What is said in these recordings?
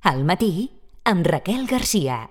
Al matí, amb Raquel Garcia.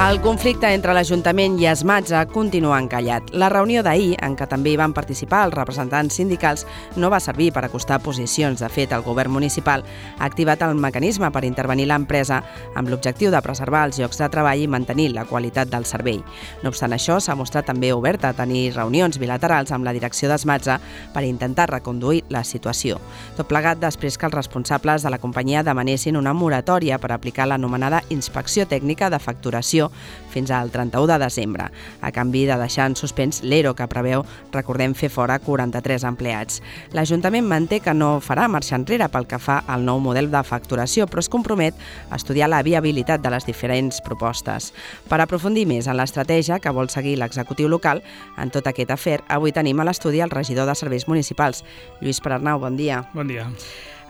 El conflicte entre l'Ajuntament i Esmatza continua encallat. La reunió d'ahir, en què també hi van participar els representants sindicals, no va servir per acostar posicions. De fet, el govern municipal ha activat el mecanisme per intervenir l'empresa amb l'objectiu de preservar els llocs de treball i mantenir la qualitat del servei. No obstant això, s'ha mostrat també oberta a tenir reunions bilaterals amb la direcció d'Esmatza per intentar reconduir la situació. Tot plegat després que els responsables de la companyia demanessin una moratòria per aplicar l'anomenada inspecció tècnica de facturació fins al 31 de desembre, a canvi de deixar en suspens l'ERO que preveu, recordem, fer fora 43 empleats. L'Ajuntament manté que no farà marxa enrere pel que fa al nou model de facturació, però es compromet a estudiar la viabilitat de les diferents propostes. Per aprofundir més en l'estratègia que vol seguir l'executiu local en tot aquest afer, avui tenim a l'estudi el regidor de Serveis Municipals, Lluís Perarnau. Bon dia. Bon dia.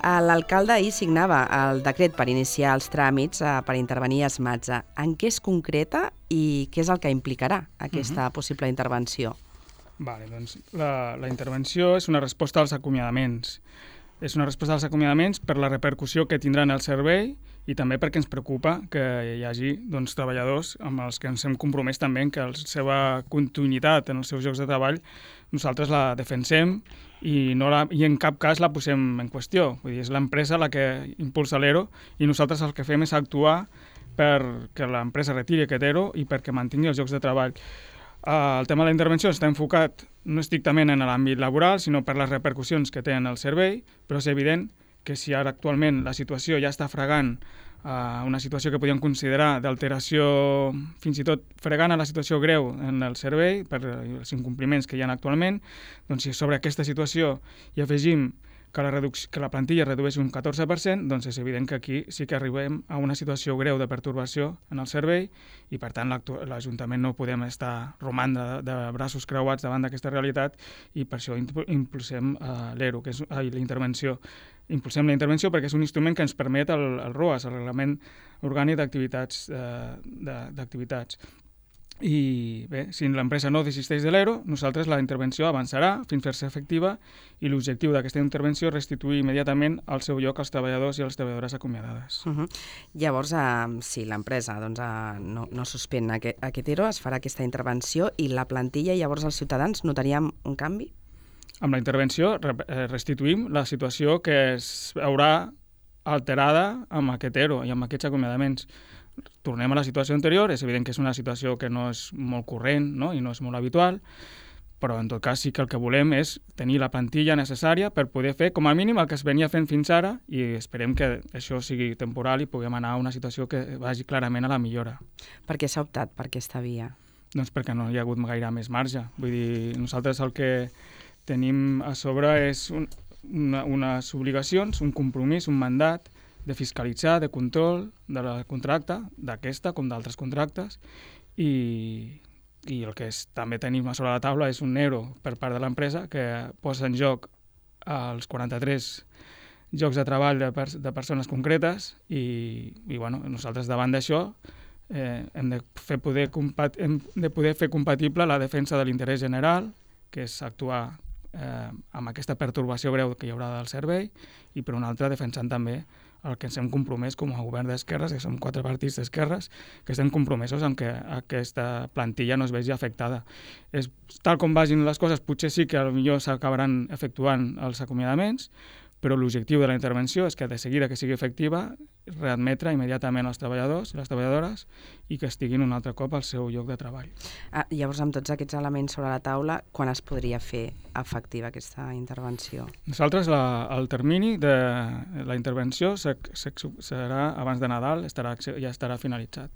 L'alcalde ahir signava el decret per iniciar els tràmits per intervenir a Esmatza. En què es concreta i què és el que implicarà aquesta possible intervenció? Doncs la intervenció és una resposta als acomiadaments. És una resposta als acomiadaments per la repercussió que tindrà en el servei i també perquè ens preocupa que hi hagi treballadors amb els que ens hem compromès també que la seva continuïtat en els seus llocs de treball nosaltres la defensem i en cap cas la posem en qüestió. Vull dir, és l'empresa la que impulsa l'ERO i nosaltres el que fem és actuar perquè l'empresa retiri aquest ERO i perquè mantingui els llocs de treball. El tema de la intervenció està enfocat no estrictament en l'àmbit laboral, sinó per les repercussions que té en el servei, però és evident que si ara actualment la situació ja està fregant una situació que podíem considerar d'alteració, fins i tot fregant a la situació greu en el servei per els incompliments que hi ha actualment, doncs si sobre aquesta situació hi afegim que la plantilla redueix un 14%, doncs és evident que aquí sí que arribem a una situació greu de pertorbació en el servei i, per tant, l'Ajuntament no podem estar romandre de braços creuats davant d'aquesta realitat i per això impulsem l'ERO, que és la intervenció. Impulsem la intervenció perquè és un instrument que ens permet el ROAS, el Reglament Orgànic d'Activitats. I bé, si l'empresa no desisteix de l'ERO, nosaltres la intervenció avançarà fins a fer-se efectiva i l'objectiu d'aquesta intervenció és restituir immediatament al seu lloc als treballadors i a les treballadores acomiadades. Llavors, si l'empresa no suspèn aquest ERO, es farà aquesta intervenció i la plantilla, llavors els ciutadans notaríem un canvi? Amb la intervenció restituïm la situació que es veurà alterada amb aquest ERO i amb aquests acomiadaments. Tornem a la situació anterior, és evident que és una situació que no és molt corrent, no? I no és molt habitual, però en tot cas sí que el que volem és tenir la plantilla necessària per poder fer com a mínim el que es venia fent fins ara i esperem que això sigui temporal i puguem anar a una situació que vagi clarament a la millora. Per què s'ha optat per aquesta via? Doncs perquè no hi ha hagut gaire més marge. Vull dir, nosaltres el que tenim a sobre és unes obligacions, un compromís, un mandat de fiscalitzar, de control de la contracte, d'aquesta com d'altres contractes, i el que també tenim a sobre la taula és un ERO per part de l'empresa que posa en joc els 43 llocs de treball de persones concretes i nosaltres davant d'això hem de poder fer compatible la defensa de l'interès general, que és actuar amb aquesta pertorbació greu que hi haurà del servei, i per una altra defensant també el que ens hem compromès com a govern d'esquerres, que som 4 partits d'esquerres, que estem compromesos en que aquesta plantilla no es vegi afectada. Tal com vagin les coses, potser sí que potser s'acabaran efectuant els acomiadaments, però l'objectiu de la intervenció és que de seguida que sigui efectiva readmetre immediatament els treballadors i les treballadores i que estiguin un altre cop al seu lloc de treball. Llavors, amb tots aquests elements sobre la taula, quan es podria fer efectiva aquesta intervenció? Nosaltres, el termini de la intervenció serà abans de Nadal, ja estarà finalitzat.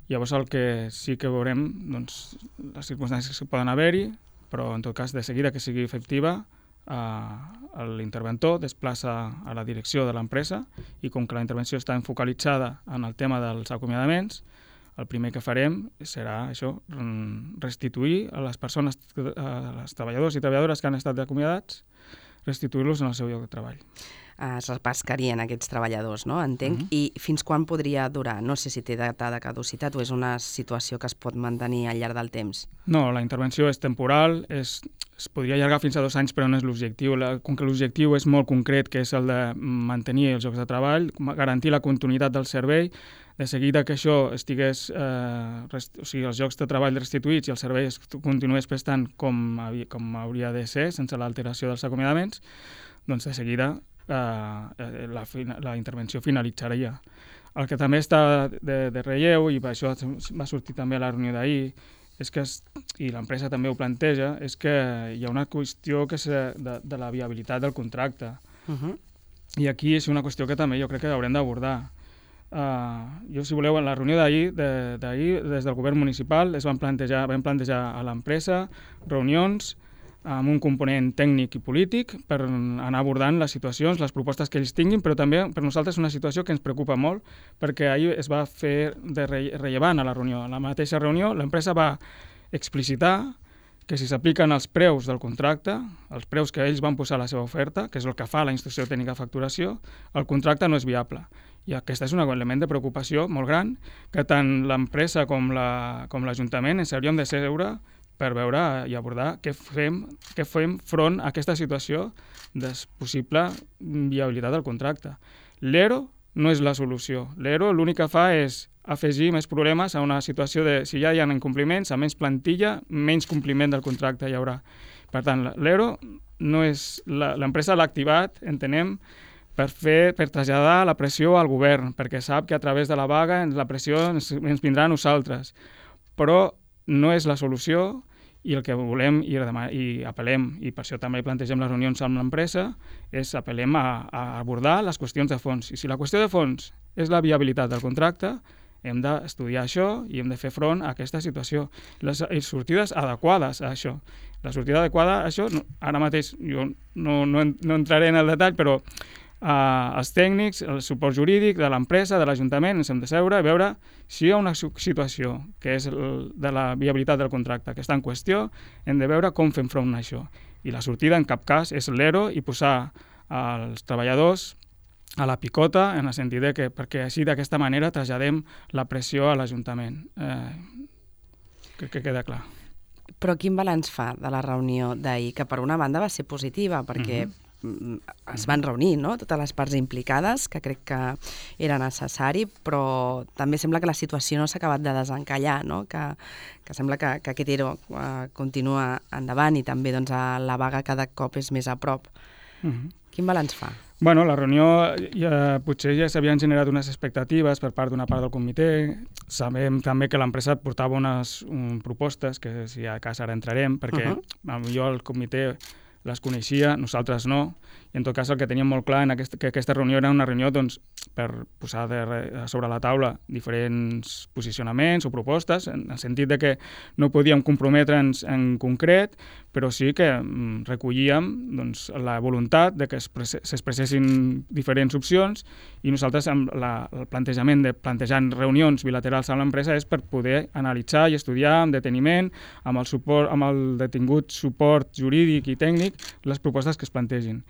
Llavors, el que sí que veurem, doncs, les circumstàncies que poden haver-hi, però en tot cas, de seguida que sigui efectiva, l'interventor desplaça a la direcció de l'empresa i com que la intervenció està enfocalitzada en el tema dels acomiadaments, el primer que farem serà això, restituir a les persones, als treballadors i treballadores que han estat acomiadats, restituir-los en el seu lloc de treball. Es repescarien aquests treballadors, no? Entenc. I fins quan podria durar? No sé si té data de caducitat o és una situació que es pot mantenir al llarg del temps. No, la intervenció és temporal, es podria allargar fins a 2 anys, però no és l'objectiu. Com que l'objectiu és molt concret, que és el de mantenir els llocs de treball, garantir la continuïtat del servei, de seguida que això estigués, o sigui, els llocs de treball restituïts i el servei es continués prestant com hauria de ser, sense l'alteració dels acomiadaments, doncs de seguida la intervenció finalitzaria. El que també està de relleu, i per això va sortir també a la reunió d'ahir, és que, i l'empresa també ho planteja, és que hi ha una qüestió que és de la viabilitat del contracte. I aquí és una qüestió que també jo crec que haurem d'abordar. Jo, si voleu, en la reunió d'ahir, des del govern municipal, vam plantejar a l'empresa reunions amb un component tècnic i polític per anar abordant les situacions, les propostes que ells tinguin, però també per nosaltres és una situació que ens preocupa molt, perquè ahir es va fer rellevant a la reunió. A la mateixa reunió l'empresa va explicitar que si s'apliquen els preus del contracte, els preus que ells van posar a la seva oferta, que és el que fa la instrucció tècnica de facturació, el contracte no és viable. I aquest és un element de preocupació molt gran que tant l'empresa com l'Ajuntament ens hauríem de seure per veure i abordar què fem front a aquesta situació de possible viabilitat del contracte. L'ERO no és la solució. L'ERO l'únic que fa és afegir més problemes a una situació de, si ja hi ha incompliments, a menys plantilla, menys compliment del contracte hi haurà. Per tant, l'ERO no és... L'empresa l'ha activat, entenem, per traslladar la pressió al govern, perquè sap que a través de la vaga la pressió ens vindrà a nosaltres. Però no és la solució, i el que volem i apel·lem, i per això també plantegem les reunions amb l'empresa, és apel·lem a abordar les qüestions de fons. I si la qüestió de fons és la viabilitat del contracte, hem d'estudiar això i hem de fer front a aquesta situació. Les sortides adequades a això. La sortida adequada a això, ara mateix jo no entraré en el detall, però els tècnics, el suport jurídic de l'empresa, de l'Ajuntament, ens hem de seure i veure si hi ha una situació que és de la viabilitat del contracte que està en qüestió, hem de veure com fem front a això. I la sortida en cap cas és l'ERO i posar els treballadors a la picota, en el sentit que perquè així d'aquesta manera traslladem la pressió a l'Ajuntament. Crec que queda clar. Però quin balanç fa de la reunió d'ahir? Que per una banda va ser positiva, perquè es van reunir, no?, totes les parts implicades, que crec que era necessari, però també sembla que la situació no s'ha acabat de desencallar, no?, que sembla que aquest ERO continua endavant i també doncs, la vaga cada cop és més a prop. Quin balanç fa? Bueno, la reunió potser ja s'havien generat unes expectatives per part d'una part del comitè. Sabem també que l'empresa portava unes propostes, que si a cas ara entrarem, perquè jo el comitè les coneixia, nosaltres no, i en tot cas el que teníem molt clar que aquesta reunió era una reunió doncs, per posar sobre la taula diferents posicionaments o propostes, en el sentit de que no podíem comprometre'ns en concret, però sí que recollíem doncs, la voluntat de que s'expressessin diferents opcions i nosaltres el plantejament de plantejar reunions bilaterals amb l'empresa és per poder analitzar i estudiar amb deteniment, amb el detingut suport jurídic i tècnic, les propostes que es plantegin.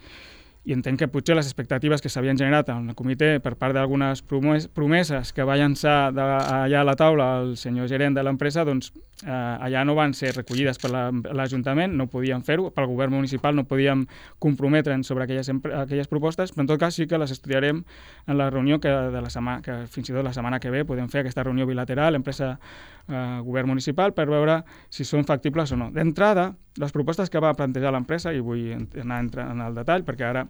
I entenc que potser les expectatives que s'havien generat en el comitè per part d'algunes promeses que va llançar allà a la taula el senyor gerent de l'empresa, doncs allà no van ser recollides per l'Ajuntament, no podíem fer-ho, pel govern municipal no podíem comprometre'ns sobre aquelles propostes, però en tot cas sí que les estudiarem en la reunió que fins i tot la setmana que ve podem fer aquesta reunió bilateral, empresa govern municipal, per veure si són factibles o no. D'entrada, les propostes que va plantejar l'empresa, i vull anar en el detall, perquè ara,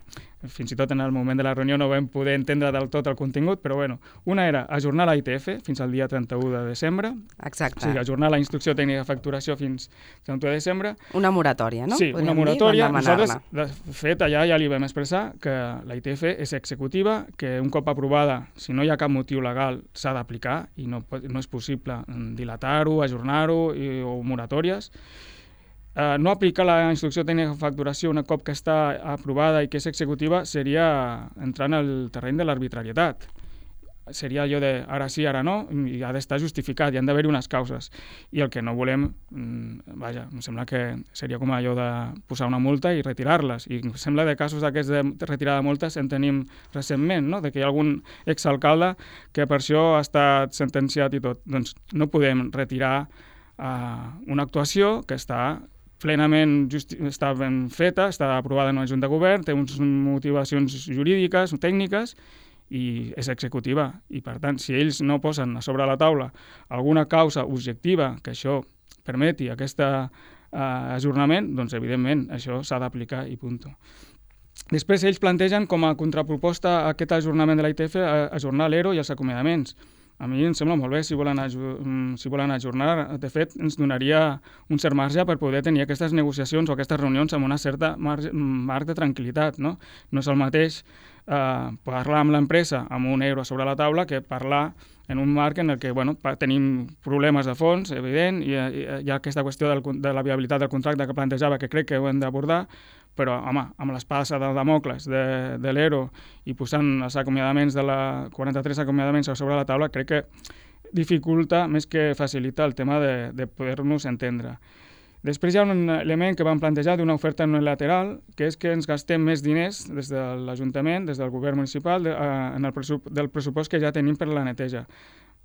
fins i tot en el moment de la reunió, no vam poder entendre del tot el contingut, però bueno, una era ajornar la ITF fins al dia 31 de desembre. Exacte. O sigui, ajornar la instrucció tècnica de facturació fins al 31 de desembre. Una moratòria, no? Sí, una moratòria. Nosaltres, de fet, allà ja li vam expressar que la ITF és executiva, que un cop aprovada, si no hi ha cap motiu legal, s'ha d'aplicar i no és possible dilatar-ho, ajornar-ho o moratòries. No aplicar la instrucció tècnica de facturació una cop que està aprovada i que és executiva seria entrar en el terreny de l'arbitrarietat. seria allò de ara sí, ara no, i ha d'estar justificat, i han d'haver-hi unes causes. I el que no volem, vaja, em sembla que seria com allò de posar una multa i retirar-les. I em sembla de casos d'aquests de retirada de multes en tenim recentment, no? De que hi ha algun exalcalde que per això ha estat sentenciat i tot. Doncs no podem retirar una actuació que està plenament està ben feta, està aprovada en una junta de govern, té unes motivacions jurídiques, tècniques, i és executiva. I, per tant, si ells no posen a sobre la taula alguna causa objectiva que això permeti aquest ajornament, doncs, evidentment, això s'ha d'aplicar i punt. Després, ells plantegen com a contraproposta a aquest ajornament de la ITF ajornar l'ERO i els acomiadaments. A mi em sembla molt bé si volen ajornar. De fet, ens donaria un cert marge per poder tenir aquestes negociacions o aquestes reunions amb una certa marc de tranquil·litat. No és el mateix parlar amb l'empresa amb un euro sobre la taula que parlar en un marc en el que tenim problemes de fons, evident, i hi ha aquesta qüestió de la viabilitat del contracte que plantejava, que crec que ho hem d'abordar, però, home, amb l'espasa de Damocles de l'ERO i posant els acomiadaments 43 acomiadaments sobre la taula, crec que dificulta més que facilita el tema de poder-nos entendre. Després hi ha un element que vam plantejar d'una oferta unilateral, que és que ens gastem més diners des de l'Ajuntament, des del govern municipal, del pressupost que ja tenim per la neteja.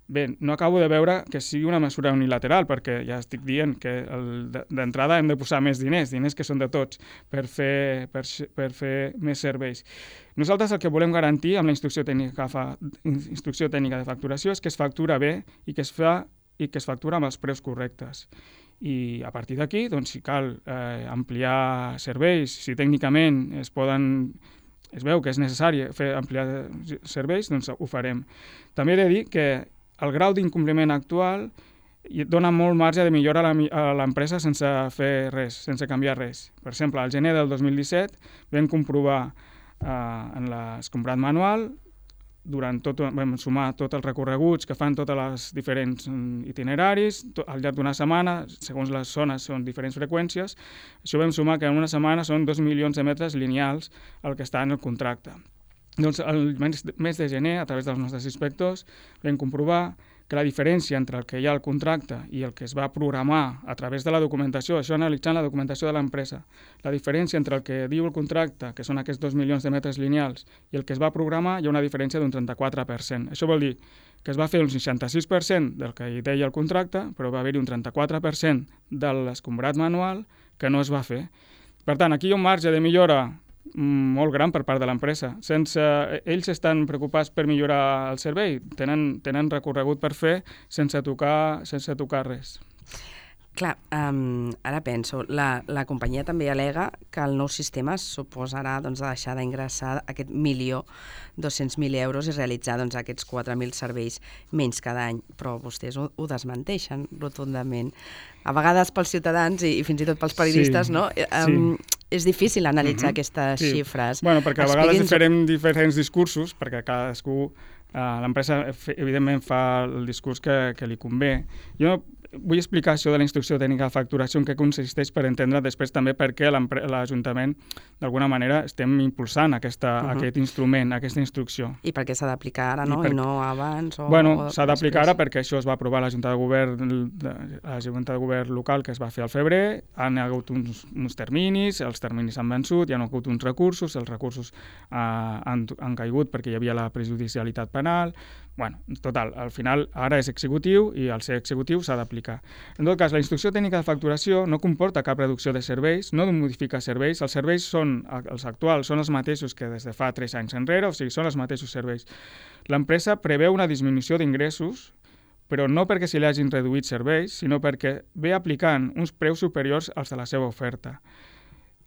Bé, no acabo de veure que sigui una mesura unilateral, perquè ja estic dient que d'entrada hem de posar més diners que són de tots, per fer més serveis. Nosaltres el que volem garantir amb la instrucció tècnica de facturació és que es factura bé i que es factura amb els preus correctes. I a partir d'aquí, doncs, si cal ampliar serveis, si tècnicament es veu que és necessari ampliar serveis, doncs ho farem. També he de dir que el grau d'incompliment actual dona molt marge de millora a l'empresa sense fer res, sense canviar res. Per exemple, al gener del 2017 vam comprovar en l'escombrat manual, vam sumar tots els recorreguts que fan totes les diferents itineraris, al llarg d'una setmana, segons les zones són diferents freqüències, això vam sumar que en una setmana són 2 milions de metres lineals el que està en el contracte. Doncs el mes de gener, a través dels nostres inspectors, vam comprovar que la diferència entre el que hi ha al contracte i el que es va programar a través de la documentació, això analitzant la documentació de l'empresa, la diferència entre el que diu el contracte, que són aquests 2 milions de metres lineals, i el que es va programar, hi ha una diferència d'un 34%. Això vol dir que es va fer un 66% del que hi deia el contracte, però va haver-hi un 34% de l'escombrat manual que no es va fer. Per tant, aquí hi ha un marge de millora molt gran per part de l'empresa. Ells estan preocupats per millorar el servei, tenen recorregut per fer sense tocar res. Clar, ara penso, la companyia també al·lega que el nou sistema suposarà deixar d'ingressar aquest 1.200.000 euros i realitzar aquests 4.000 serveis menys cada any, però vostès ho desmenteixen rotundament. A vegades pels ciutadans i fins i tot pels periodistes, no? És difícil analitzar aquestes xifres. Bueno, perquè a vegades farem diferents discursos, perquè cadascú, l'empresa evidentment fa el discurs que li convé. Jo vull explicar això de la instrucció tècnica de facturació en què consisteix per entendre després també per què l'Ajuntament d'alguna manera estem impulsant aquest instrument, aquesta instrucció. I per què s'ha d'aplicar ara, no? I no abans? Bueno, s'ha d'aplicar ara perquè això es va aprovar a la Junta de Govern local que es va fer al febrer, han hagut uns terminis, els terminis han vençut, hi ha hagut uns recursos, els recursos han caigut perquè hi havia la prejudicialitat penal. Bueno, total, al final ara és executiu i al ser executiu s'ha d'aplicar. En tot cas, la instrucció tècnica de facturació no comporta cap reducció de serveis, no modifica serveis, els serveis els actuals són els mateixos que des de fa 3 anys enrere, o sigui, són els mateixos serveis. L'empresa preveu una disminució d'ingressos, però no perquè se li hagin reduït serveis, sinó perquè ve aplicant uns preus superiors als de la seva oferta.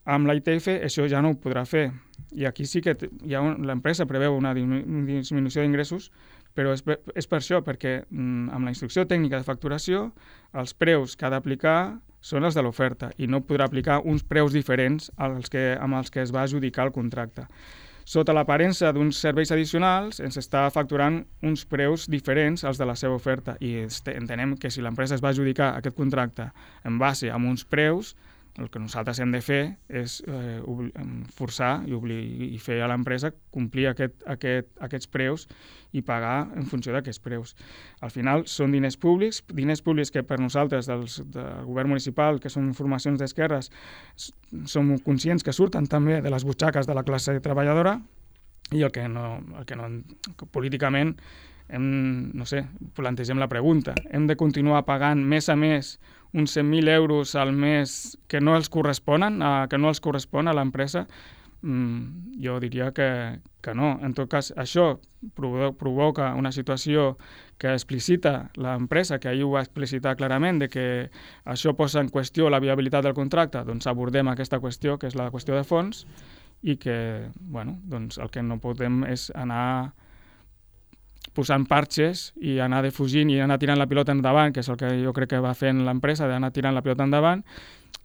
Amb la ITF això ja no ho podrà fer, i aquí sí que l'empresa preveu una disminució d'ingressos, però és per això, perquè amb la instrucció tècnica de facturació els preus que ha d'aplicar són els de l'oferta i no podrà aplicar uns preus diferents amb els que es va adjudicar el contracte. Sota l'aparença d'uns serveis addicionals ens està facturant uns preus diferents als de la seva oferta i entenem que si l'empresa es va adjudicar aquest contracte en base a uns preus, El que nosaltres hem de fer és forçar i fer a l'empresa complir aquests preus i pagar en funció d'aquests preus. Al final són diners públics que per nosaltres del govern municipal, que són formacions d'esquerres, som conscients que surten també de les butxaques de la classe treballadora i el que políticament plantegem la pregunta. Hem de continuar pagant mes a mes uns 100.000 euros al mes que no els correspon a l'empresa? Jo diria que no. En tot cas, això provoca una situació que explicita l'empresa, que ahir ho va explicitar clarament, de que això posa en qüestió la viabilitat del contracte. Doncs abordem aquesta qüestió, que és la qüestió de fons, i que el que no podem és anar posant parxes i anar defugint i anar tirant la pilota endavant, que és el que jo crec que va fent l'empresa, d'anar tirant la pilota endavant,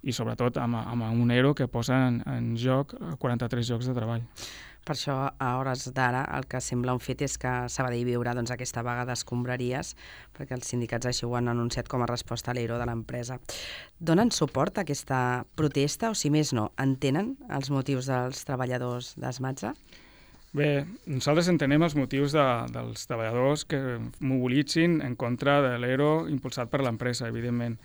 i sobretot amb un ERO que posa en joc 43 llocs de treball. Per això, a hores d'ara, el que sembla un fet és que Sabadell viurà aquesta vaga d'escombraries, perquè els sindicats així ho han anunciat com a resposta a l'ERO de l'empresa. Donen suport a aquesta protesta o, si més no, entenen els motius dels treballadors d'Esmatza? Bé, nosaltres entenem els motius dels treballadors que mobilitzin en contra de l'ERO impulsat per l'empresa, evidentment.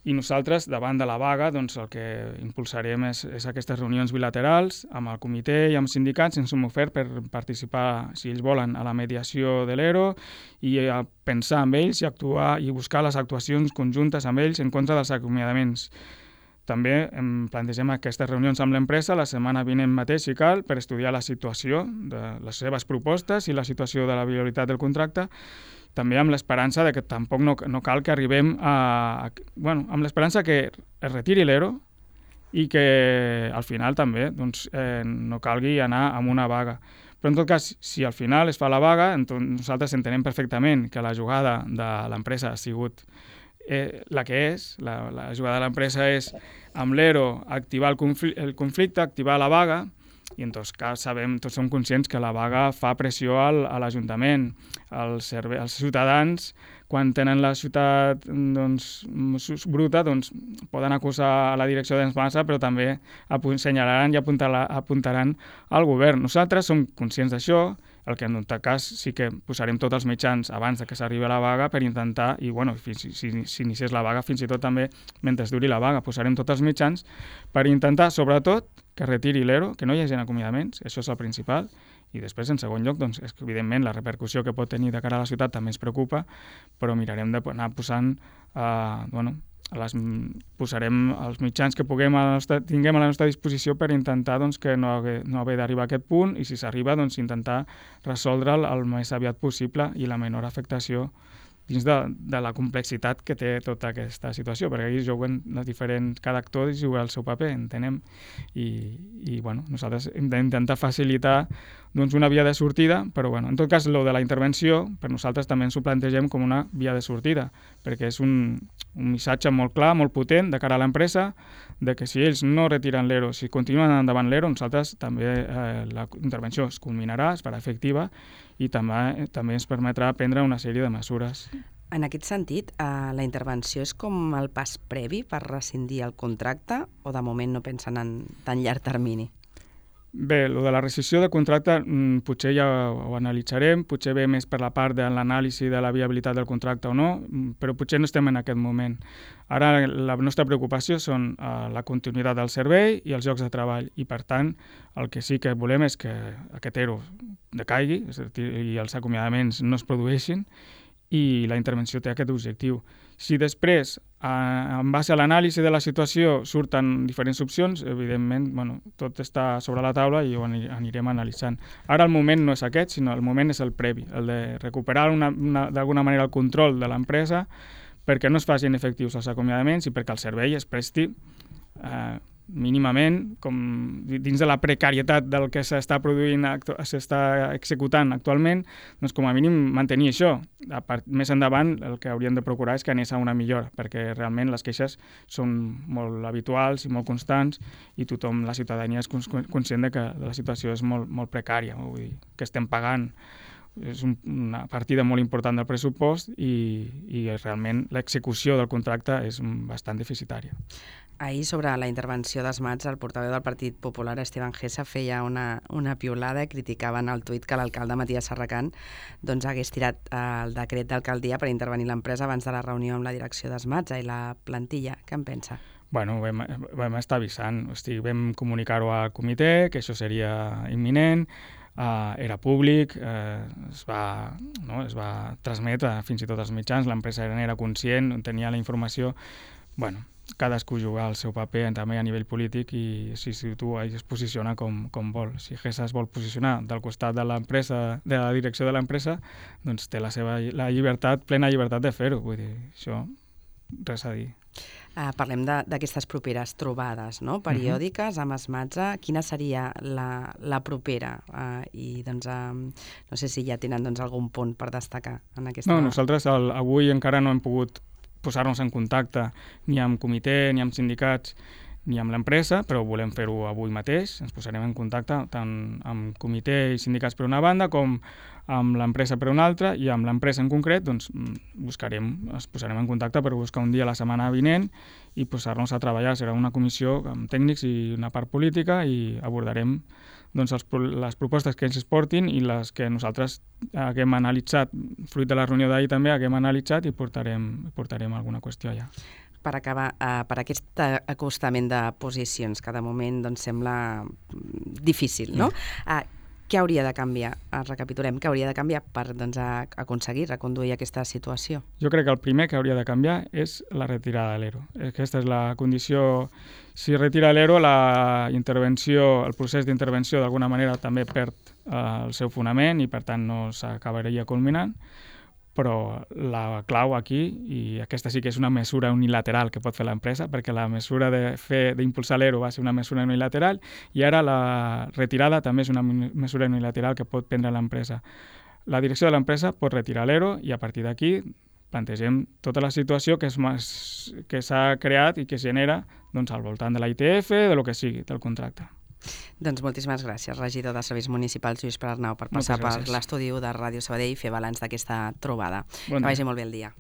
I nosaltres, davant de la vaga, doncs, el que impulsarem és aquestes reunions bilaterals amb el comitè i amb sindicats. Ens hem ofert per participar, si ells volen, a la mediació de l'ERO i a pensar amb ells i actuar i buscar les actuacions conjuntes amb ells en contra dels acomiadaments. També plantegem aquestes reunions amb l'empresa la setmana vinent mateix, si cal, per estudiar la situació de les seves propostes i la situació de la viabilitat del contracte, també amb l'esperança de que tampoc no cal que arribem amb l'esperança que es retiri l'ERO i que al final també no calgui anar amb una vaga. Però en tot cas, si al final es fa la vaga, nosaltres entenem perfectament que la jugada de l'empresa ha sigut la que és. La jugada de l'empresa és, amb l'ERO, activar el conflicte, activar la vaga, i en tot cas tots som conscients que la vaga fa pressió a l'Ajuntament. Els ciutadans, quan tenen la ciutat bruta, poden acusar a la direcció d'Esmatza, però també assenyalaran i apuntaran al govern. Nosaltres som conscients d'això, el que en tot cas sí que posarem tots els mitjans abans que s'arribi a la vaga per intentar, i si iniciés la vaga, fins i tot també mentre duri la vaga, posarem tots els mitjans per intentar, sobretot, que retiri l'ERO, que no hi hagi acomiadaments, això és el principal, i després, en segon lloc, evidentment, la repercussió que pot tenir de cara a la ciutat també ens preocupa, però mirarem d'anar posant, posarem els mitjans que tinguem a la nostra disposició per intentar que no haver d'arribar a aquest punt, i si s'arriba, intentar resoldre'l el més aviat possible i la menor afectació dins de la complexitat que té tota aquesta situació, perquè aquí juguen cada actor juga el seu paper, entenem, i nosaltres hem d'intentar facilitar una via de sortida, però en tot cas, de la intervenció, per nosaltres també ens ho plantegem com una via de sortida, perquè és un missatge molt clar, molt potent de cara a l'empresa, de que si ells no retiren l'ERO, si continuen endavant l'ERO, nosaltres també la intervenció es culminarà, es farà efectiva, i també ens permetrà prendre una sèrie de mesures. En aquest sentit, la intervenció és com el pas previ per rescindir el contracte o de moment no pensen en tan llarg termini? Bé, el de la rescissió de contracte potser ja ho analitzarem, potser ve més per la part de l'anàlisi de la viabilitat del contracte o no, però potser no estem en aquest moment. Ara la nostra preocupació són la continuïtat del servei i els llocs de treball, i per tant el que sí que volem és que aquest ERO decaigui, és a dir, i els acomiadaments no es produeixin, i la intervenció té aquest objectiu. Si després, en base a l'anàlisi de la situació, surten diferents opcions, evidentment, tot està sobre la taula i ho anirem analitzant. Ara el moment no és aquest, sinó el moment és el previ, el de recuperar d'alguna manera el control de l'empresa perquè no es facin efectius els acomiadaments i perquè el servei es presti mínimament, com dins de la precarietat del que s'està produint, s'està executant actualment, com a mínim mantenir això. Més endavant el que hauríem de procurar és que anés a una millora, perquè realment les queixes són molt habituals i molt constants i tothom, la ciutadania, és conscient de que la situació és molt, molt precària, vull dir, que estem pagant és una partida molt important del pressupost i realment l'execució del contracte és bastant deficitària. Ahir, sobre la intervenció d'Esmats, el portaveu del Partit Popular, Esteban Gessa, feia una piulada i criticava en el tuit que l'alcalde Matías Serracant hagués tirat el decret d'alcaldia per intervenir l'empresa abans de la reunió amb la direcció d'Esmats i la plantilla. Què en pensa? Bueno, vam estar avisant, vam comunicar-ho al comitè, que això seria imminent, era públic, es va transmetre fins i tot als mitjans, l'empresa n'era conscient, tenia la informació. Bueno, cadascú juga el seu paper també a nivell polític i si situa i es posiciona com vol. Si Gessa es vol posicionar del costat de l'empresa, de la direcció de l'empresa, doncs té la plena llibertat de fer-ho. Vull dir, això, res a dir. Parlem d'aquestes properes trobades, no? Periòdiques amb Esmatza. Quina seria la propera? I no sé si ja tenen algun punt per destacar en aquesta... No, nosaltres avui encara no hem pogut posar-nos en contacte ni amb comitè, ni amb sindicats, ni amb l'empresa, però volem fer-ho avui mateix. Ens posarem en contacte tant amb comitè i sindicats per una banda com amb l'empresa per una altra, i amb l'empresa en concret ens posarem en contacte per buscar un dia la setmana vinent i posar-nos a treballar. Serà una comissió amb tècnics i una part política i abordarem les propostes que ens es portin i les que nosaltres haguem analitzat, fruit de la reunió d'ahir també haguem analitzat i portarem alguna qüestió allà. Per acabar, per aquest acostament de posicions que de moment sembla difícil, no? Què hauria de canviar? Recapitulem, què hauria de canviar per aconseguir reconduir aquesta situació? Jo crec que el primer que hauria de canviar és la retirada de l'ERO. Aquesta és la condició. Si retira l'ERO, el procés d'intervenció d'alguna manera també perd el seu fonament i per tant no s'acabaria culminant. Però la clau aquí, i aquesta sí que és una mesura unilateral que pot fer l'empresa, perquè la mesura d'impulsar l'ERO va ser una mesura unilateral i ara la retirada també és una mesura unilateral que pot prendre l'empresa. La direcció de l'empresa pot retirar l'ERO i a partir d'aquí plantegem tota la situació que s'ha creat i que es genera al voltant de la ITF, de lo que sigui, del contracte. Doncs moltíssimes gràcies, regidor de Serveis Municipals, Lluís Pere Arnau, per passar per l'estudi de Ràdio Sabadell i fer balanç d'aquesta trobada. Que vagi molt bé el dia.